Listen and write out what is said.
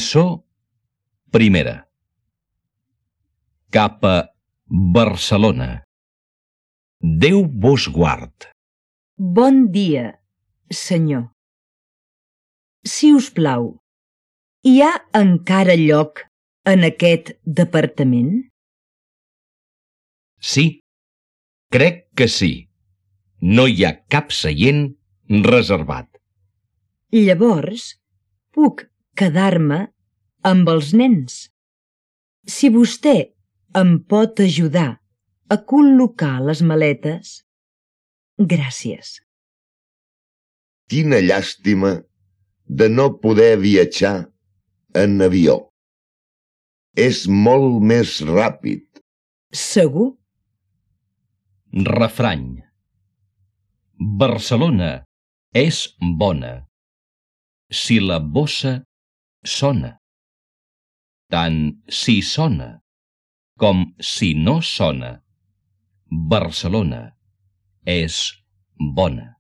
Lliçó primera. Cap a Barcelona. Déu vos guard. Bon dia, senyor. Si us plau, hi ha encara lloc en aquest departament? Sí, crec que sí. No hi ha cap seient reservat. Llavors, puc quedar-me amb els nens. Si vostè em pot ajudar a col·locar les maletes, gràcies. Quina llàstima de no poder viatjar en avió. És molt més ràpid. Segur? Refrany. Barcelona és bona si la bossa sona. Tant si sona com si no sona, Barcelona és bona.